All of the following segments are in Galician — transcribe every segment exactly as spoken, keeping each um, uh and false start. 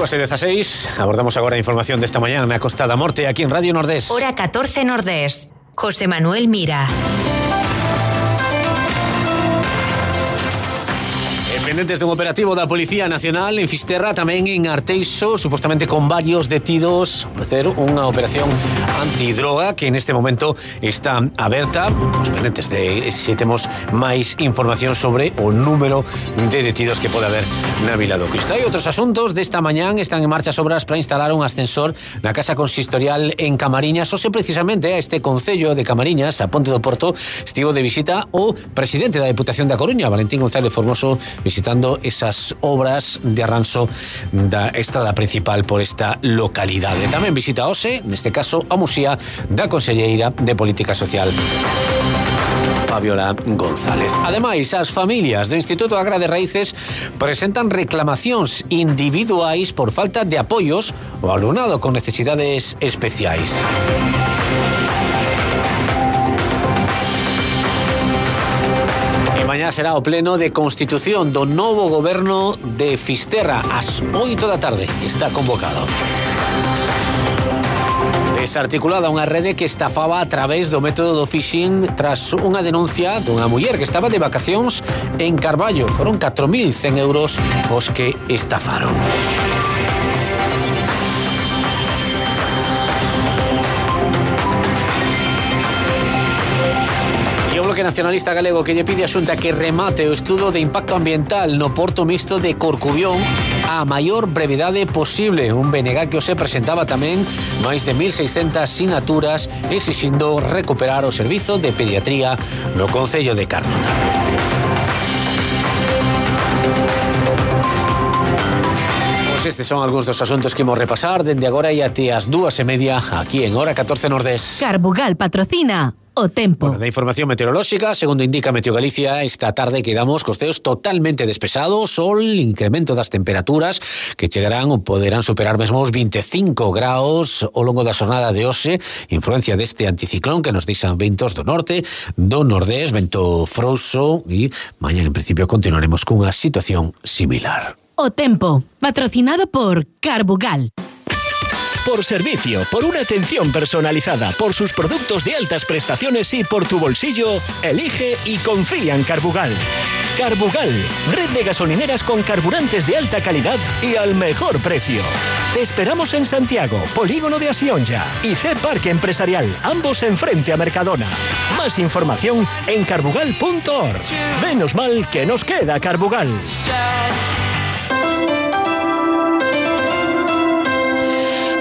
dúas e dezaseis, abordamos agora a información desta mañá na Costa da Morte aquí en Radio Nordés. Hora catorce Nordés. José Manuel Mira. Pendentes dun operativo da Policía Nacional en Fisterra, tamén en Arteixo, supostamente con varios detidos, ofrecer unha operación antidroga que neste momento está aberta. Os pendentes de se temos máis información sobre o número de detidos que pode haber na Vila do Cristo. Hai outros asuntos desta mañán, están en marcha as obras para instalar un ascensor na Casa Consistorial en Camariñas. Ose precisamente a este concello de Camariñas, a Ponte do Porto, estivo de visita o presidente da Deputación da Coruña, Valentín González Formoso, visitando esas obras de arranxo da estrada principal por esta localidade. Tamén visita hoxe, neste caso, a Muxía da Conselleira de Política Social, Fabiola González. Ademais, as familias do Instituto Agra de Raíces presentan reclamacións individuais por falta de apoios ao alumnado con necesidades especiais. Mañá será o pleno de constitución do novo goberno de Fisterra ás oito da tarde. Está convocado. Desarticulada unha rede que estafaba a través do método do phishing tras unha denuncia dunha muller que estaba de vacacións en Carballo. Foron catro mil cen euros os que estafaron. O Bloque Nacionalista Galego que lle pide a Xunta que remate o estudo de impacto ambiental no porto mixto de Corcubión a maior brevidade posible. Un B N G que se presentaba tamén máis de mil seiscentas sinaturas exixindo recuperar o servizo de pediatría no concello de Carnota. Pois estes son algúns dos asuntos que imos repasar dende agora e até as dúas e media aquí en Hora catorce Nordés. Carbugal patrocina o tempo. Bueno, da información meteorolóxica, segundo indica Meteo Galicia, esta tarde quedamos cos ceos totalmente despejados, sol, incremento das temperaturas que chegarán ou poderán superar mesmo os veinticinco graus ao longo da xornada de hoxe, influencia deste anticiclón que nos deixan ventos do norte, do nordés, vento frouxo e mañá en principio continuaremos cunha situación similar. O tempo, patrocinado por Carbugal. Por servicio, por una atención personalizada, por sus productos de altas prestaciones y por tu bolsillo, elige y confía en Carbugal. Carbugal, red de gasolineras con carburantes de alta calidad y al mejor precio. Te esperamos en Santiago, Polígono de Asionja y C Parque Empresarial, ambos enfrente a Mercadona. Más información en carbugal punto org. Menos mal que nos queda Carbugal.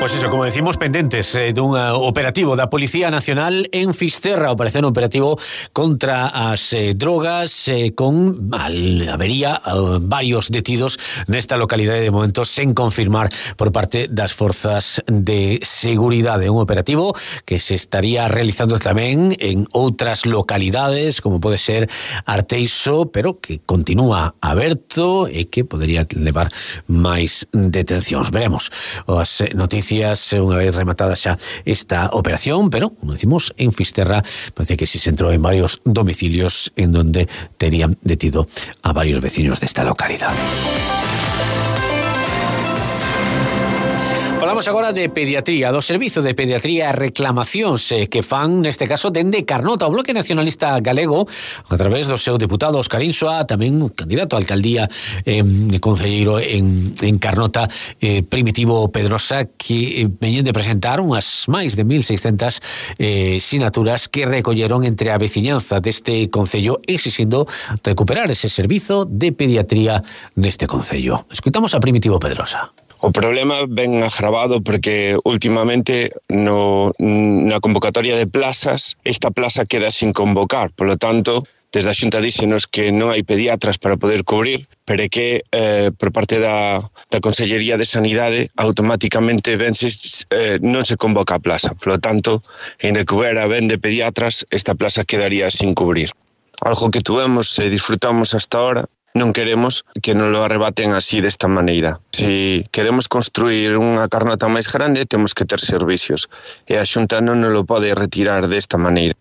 Pois iso, como decimos, pendentes eh, dun operativo da Policía Nacional en Fisterra, operación operativo contra as eh, drogas eh, con mal, habería eh, varios detidos nesta localidade de momento sen confirmar por parte das forzas de seguridade. Un operativo que se estaría realizando tamén en outras localidades como pode ser Arteixo, pero que continúa aberto e que podería levar máis detencións. Veremos as noticias unha vez rematada xa esta operación, pero, como decimos, en Fisterra parece que si se entrou en varios domicilios en donde terían detido a varios vecinos desta localidade. Falamos agora de pediatría, do servizo de pediatría e reclamacións eh, que fan, neste caso, dende Carnota. O Bloque Nacionalista Galego, a través do seu deputado Óscar Insua, tamén candidato a alcaldía eh, concelleiro en, en Carnota, eh, Primitivo Pedrosa, que eh, veñen de presentar unhas máis de mil seiscentas eh, sinaturas que recolleron entre a veciñanza deste concello exixindo recuperar ese servizo de pediatría neste concello. Escoitamos a Primitivo Pedrosa. O problema ven agravado porque últimamente no, na convocatoria de plazas esta plaza queda sin convocar, polo tanto desde a Xunta díxenos que non hai pediatras para poder cubrir, pero é que eh, por parte da, da Consellería de Sanidade automáticamente vense, eh, non se convoca a plaza, polo tanto, en que houbera ben de pediatras, esta plaza quedaría sin cubrir. Algo que tuvemos e disfrutamos hasta ahora, non queremos que nos lo arrebaten así desta maneira. Se queremos construir unha Carnota máis grande, temos que ter servicios. E a Xunta non nos lo pode retirar desta maneira.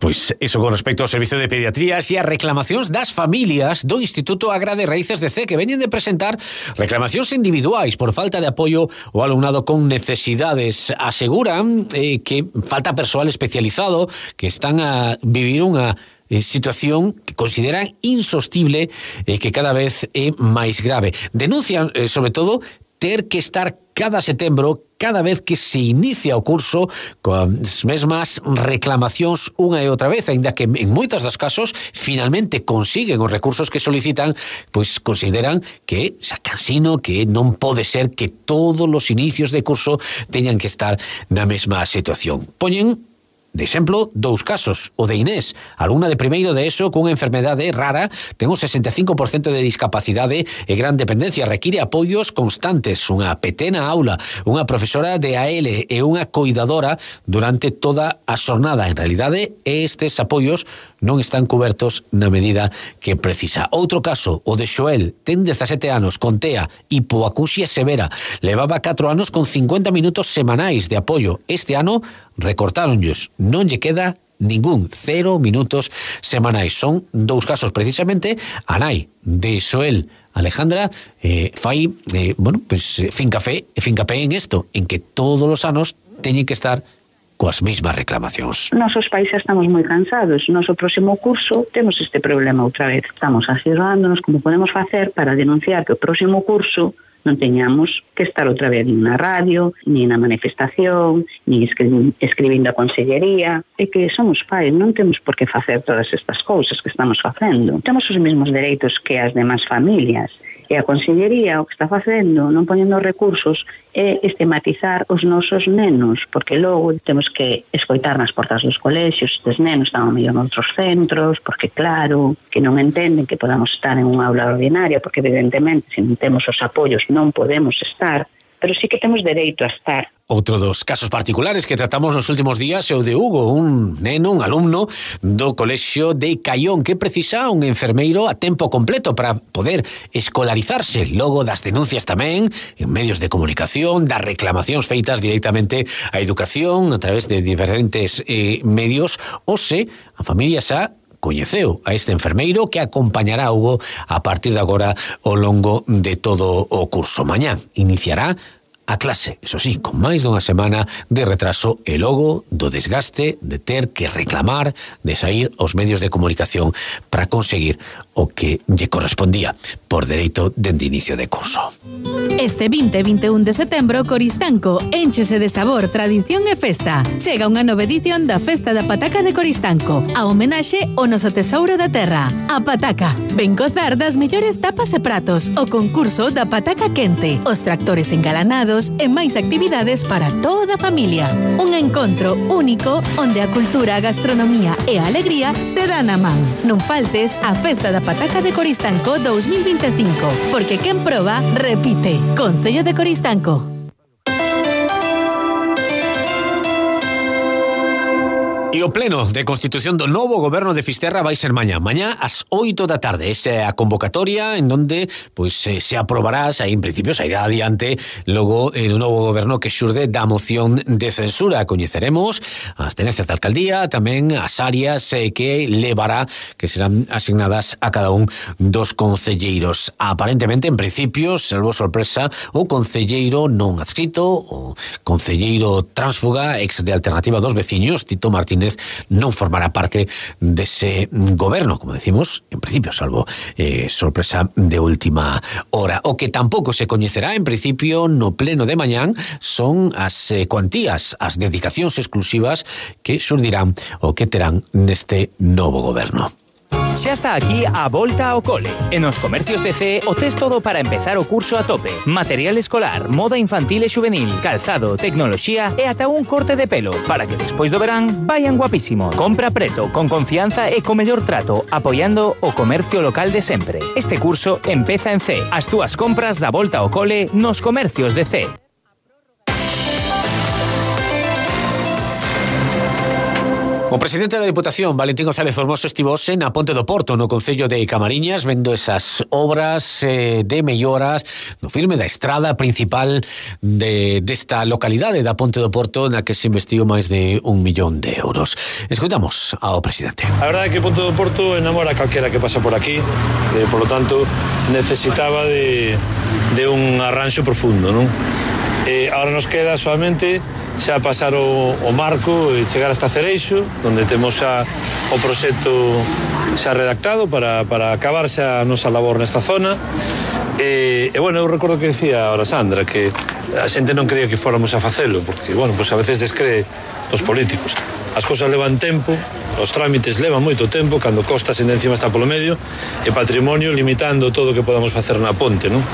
Pois iso con respecto ao Servicio de Pediatrías e as reclamacións das familias do Instituto Agra de Raíces de C, que veñen de presentar reclamacións individuais por falta de apoio ao alumnado con necesidades. Aseguran eh, que falta persoal especializado, que están a vivir unha eh, situación que consideran insostible e eh, que cada vez é máis grave. Denuncian, eh, sobre todo, ter que estar cada setembro, cada vez que se inicia o curso, coas mesmas reclamacións unha e outra vez, aínda que en moitos dos casos finalmente consiguen os recursos que solicitan, pois consideran que xa cansino, que non pode ser que todos os inicios de curso teñan que estar na mesma situación. Poñen de exemplo, dous casos. O de Inés, alumna de primeiro de ESO cunha enfermedade rara, ten o sesenta e cinco por cento de discapacidade e gran dependencia, require apoios constantes, unha P T na aula, unha profesora de A L e unha coidadora durante toda a xornada. En realidade, estes apoios non están cubertos na medida que precisa. Outro caso, o de Xoel, ten dezasete anos, con T E A, hipoacusia severa, levaba catro anos con cincuenta minutos semanais de apoio. Este ano recortáronllos, non lle queda ningún, cero minutos semanais. Son dous casos precisamente. A nai de Xoel, Alejandra, eh, fai eh, bueno, pues, fincafé, fincapé en isto, en que todos os anos teñen que estar coas mesmas reclamacións. Nosos pais xa estamos moi cansados. Noso próximo curso temos este problema outra vez. Estamos asesorándonos como podemos facer para denunciar que o próximo curso non teñamos que estar outra vez nin na radio, nin na manifestación, nin escri- escribindo a consellería. É que somos pais, non temos por que facer todas estas cousas que estamos facendo. Temos os mesmos dereitos que as demás familias. E a consellería o que está facendo, non poñendo recursos, é estigmatizar os nosos nenos, porque logo temos que escoitar nas portas dos colexios, estes nenos están ao mellor noutros centros, porque claro, que non entenden que podamos estar en unha aula ordinaria, porque evidentemente, se non temos os apoios, non podemos estar, pero sí que temos dereito a estar. Outro dos casos particulares que tratamos nos últimos días é o de Hugo, un neno, un alumno do colexio de Caión, que precisa un enfermeiro a tempo completo para poder escolarizarse. Logo das denuncias tamén en medios de comunicación, das reclamacións feitas directamente á educación a través de diferentes eh, medios, ou se a familia xa coñeceu a este enfermeiro que acompañará a Hugo a partir de agora ao longo de todo o curso. Mañán iniciará a clase, eso sí, con máis dunha semana de retraso e logo do desgaste de ter que reclamar, de sair aos medios de comunicación para conseguir o que lle correspondía por dereito dende inicio de curso. Este vinte e vinte e un de setembro, Coristanco énchese de sabor, tradición e festa. Chega unha nova edición da Festa da Pataca de Coristanco, a homenaxe ao noso tesouro da terra, a pataca. Ven gozar das mellores tapas e pratos, o concurso da pataca quente, os tractores engalanados e máis actividades para toda a familia. Un encontro único onde a cultura, a gastronomía e a alegría se dan a man. Non faltes a Festa da Pataca de Coristanco dous mil vinte e cinco, porque quen proba, repite. Concello de Coristanco. E o pleno de constitución do novo goberno de Fisterra vai ser mañá, mañá ás oito da tarde. Esa é a convocatoria en donde pois se, se aprobará, xa en principio sairá adiante logo en un novo goberno que xurde da moción de censura. Coñeceremos as tenencias da alcaldía, tamén as áreas eh, que levará, que serán asignadas a cada un dos concelleiros. Aparentemente, en principio, salvo sorpresa, o concelleiro non adscrito, o concelleiro tránsfuga, ex de Alternativa dos Veciños, Tito Martínez, non formará parte dese goberno, como decimos, en principio, salvo eh, sorpresa de última hora. O que tampouco se coñecerá, en principio, no pleno de mañán, son as eh, cuantías, as dedicacións exclusivas que xurdirán o que terán neste novo goberno. Xa está aquí a volta ao cole. En os comercios de C o tes todo para empezar o curso a tope. Material escolar, moda infantil e xuvenil, calzado, tecnoloxía e ata un corte de pelo para que despois do verán vayan guapísimos. Compra preto, con confianza e co mellor trato, apoiando o comercio local de sempre. Este curso empeza en C. As túas compras da volta ao cole nos comercios de C. O presidente da Diputación, Valentín González Formoso, estivose na Ponte do Porto, no concello de Camariñas, vendo esas obras eh, de melloras no firme da estrada principal de, desta localidade da Ponte do Porto, na que se investiu máis de un millón de euros. Escoitamos ao presidente. A verdade é que Ponte do Porto enamora a calquera que pasa por aquí, eh, por lo tanto necesitaba de, de un arranxo profundo, non? Eh, ahora nos queda solamente xa pasar o, o marco e chegar hasta Cereixo, onde temos xa o proxecto xa redactado para, para acabar xa a nosa labor nesta zona. E, e bueno, eu recordo que decía ahora Sandra que a xente non creía que fóramos a facelo, porque, bueno, pues a veces descree os políticos. As cousas levan tempo, os trámites levan moito tempo, cando costa se encima está polo medio, e patrimonio limitando todo o que podamos facer na ponte, non?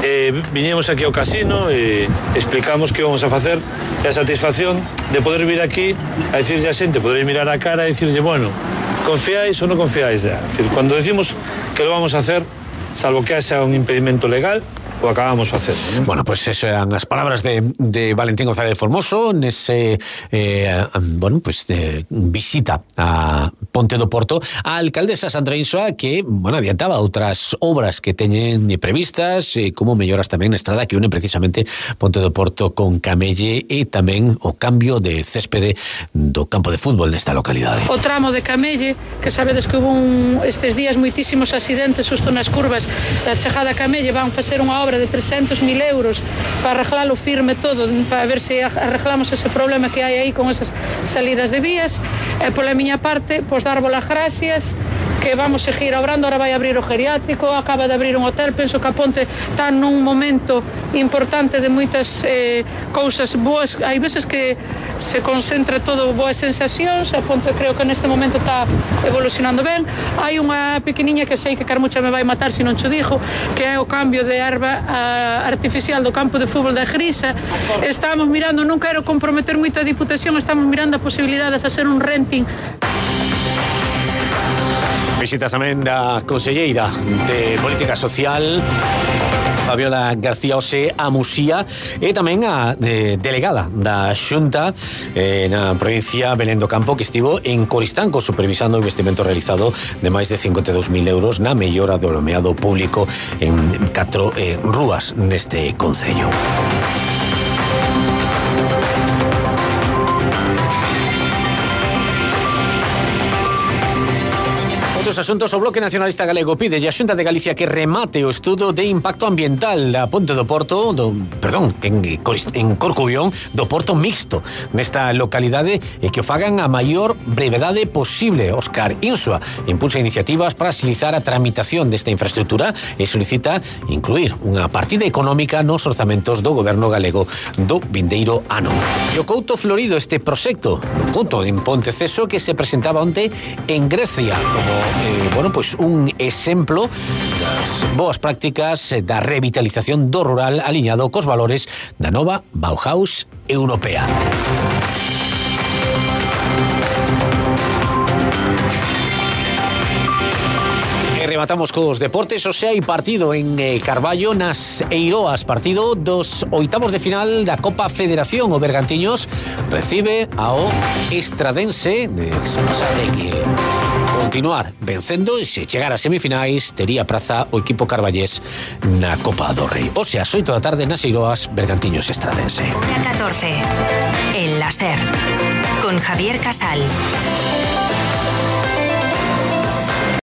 E viñemos aquí ao casino e explicamos que íbamos a facer e a satisfacción de poder vir aquí a dicirlle a xente, poder mirar a cara e dicirlle, bueno, confiáis ou non confiáis ya. Es decir, cuando decimos que lo vamos a hacer, salvo que haxa un impedimento legal, o acabamos de hacer, ¿no? Bueno, pues eso eran las palabras de, de Valentín González Formoso nese eh, bueno, pues de visita a Ponte do Porto. A alcaldesa Sandra Insua que, bueno, adiantaba outras obras que teñen previstas, eh, como melloras tamén na estrada que une precisamente Ponte do Porto con Camelle e tamén o cambio de céspede do campo de fútbol nesta localidade. O tramo de Camelle, que sabedes que hubo un, estes días moitísimos accidentes xusto nas curvas da chegada a Camelle, van facer unha obra de trescentos mil euros para arreglalo firme todo, para ver se arreglamos ese problema que hai aí con esas salidas de vías. E pola miña parte, pois darvos as gracias, que vamos seguir obrando. Ahora vai abrir o geriátrico, acaba de abrir un hotel, penso que a Ponte está nun momento importante de moitas eh, cousas boas. Hai veces que se concentra todo boas sensacións, a Ponte creo que neste momento está evolucionando ben. Hai unha pequeniña que sei que Carmucha me vai matar se non cho dixo, que é o cambio de erva artificial do campo de fútbol da Grisa. Estamos mirando, non quero comprometer moito a Diputación, estamos mirando a posibilidade de facer un renting. Visitas tamén da conselleira de Política Social, Fabiola García Ose, a Muxía, e tamén a de, delegada da Xunta eh, na provincia Belén do Campo, que estivo en Coristanco supervisando o investimento realizado de máis de cincuenta e dous mil euros na mellora do alumeado público en catro eh, rúas neste concello. Outros asuntos, o Bloque Nacionalista Galego pide a Xunta de Galicia que remate o estudo de impacto ambiental da Ponte do Porto, do, perdón, en, en Corcubión, do Porto Mixto nesta localidade, e que o fagan a maior brevedade posible. Óscar Insua impulsa iniciativas para agilizar a tramitación desta infraestructura e solicita incluir unha partida económica nos orzamentos do goberno galego do vindeiro ano. E o Couto Florido, este proxecto no Couto en Ponteceso, que se presentaba onte en Grecia como Eh, bueno, pues un exemplo das boas prácticas da revitalización do rural aliñado cos valores da nova Bauhaus europea. Rematamos cos deportes. O sea, hai partido en eh, Carballo nas Eiroas, partido dos oitavos de final da Copa Federación. O Bergantiños recibe ao Estradense, de pasar de que continuar vencendo, e se chegar a semifinais tería praza o equipo carballés na Copa do Rei. O sea, as oito da tarde nas Eiroas, Bergantiños Estradense. Hora catorce, El Láser, con Javier Casal.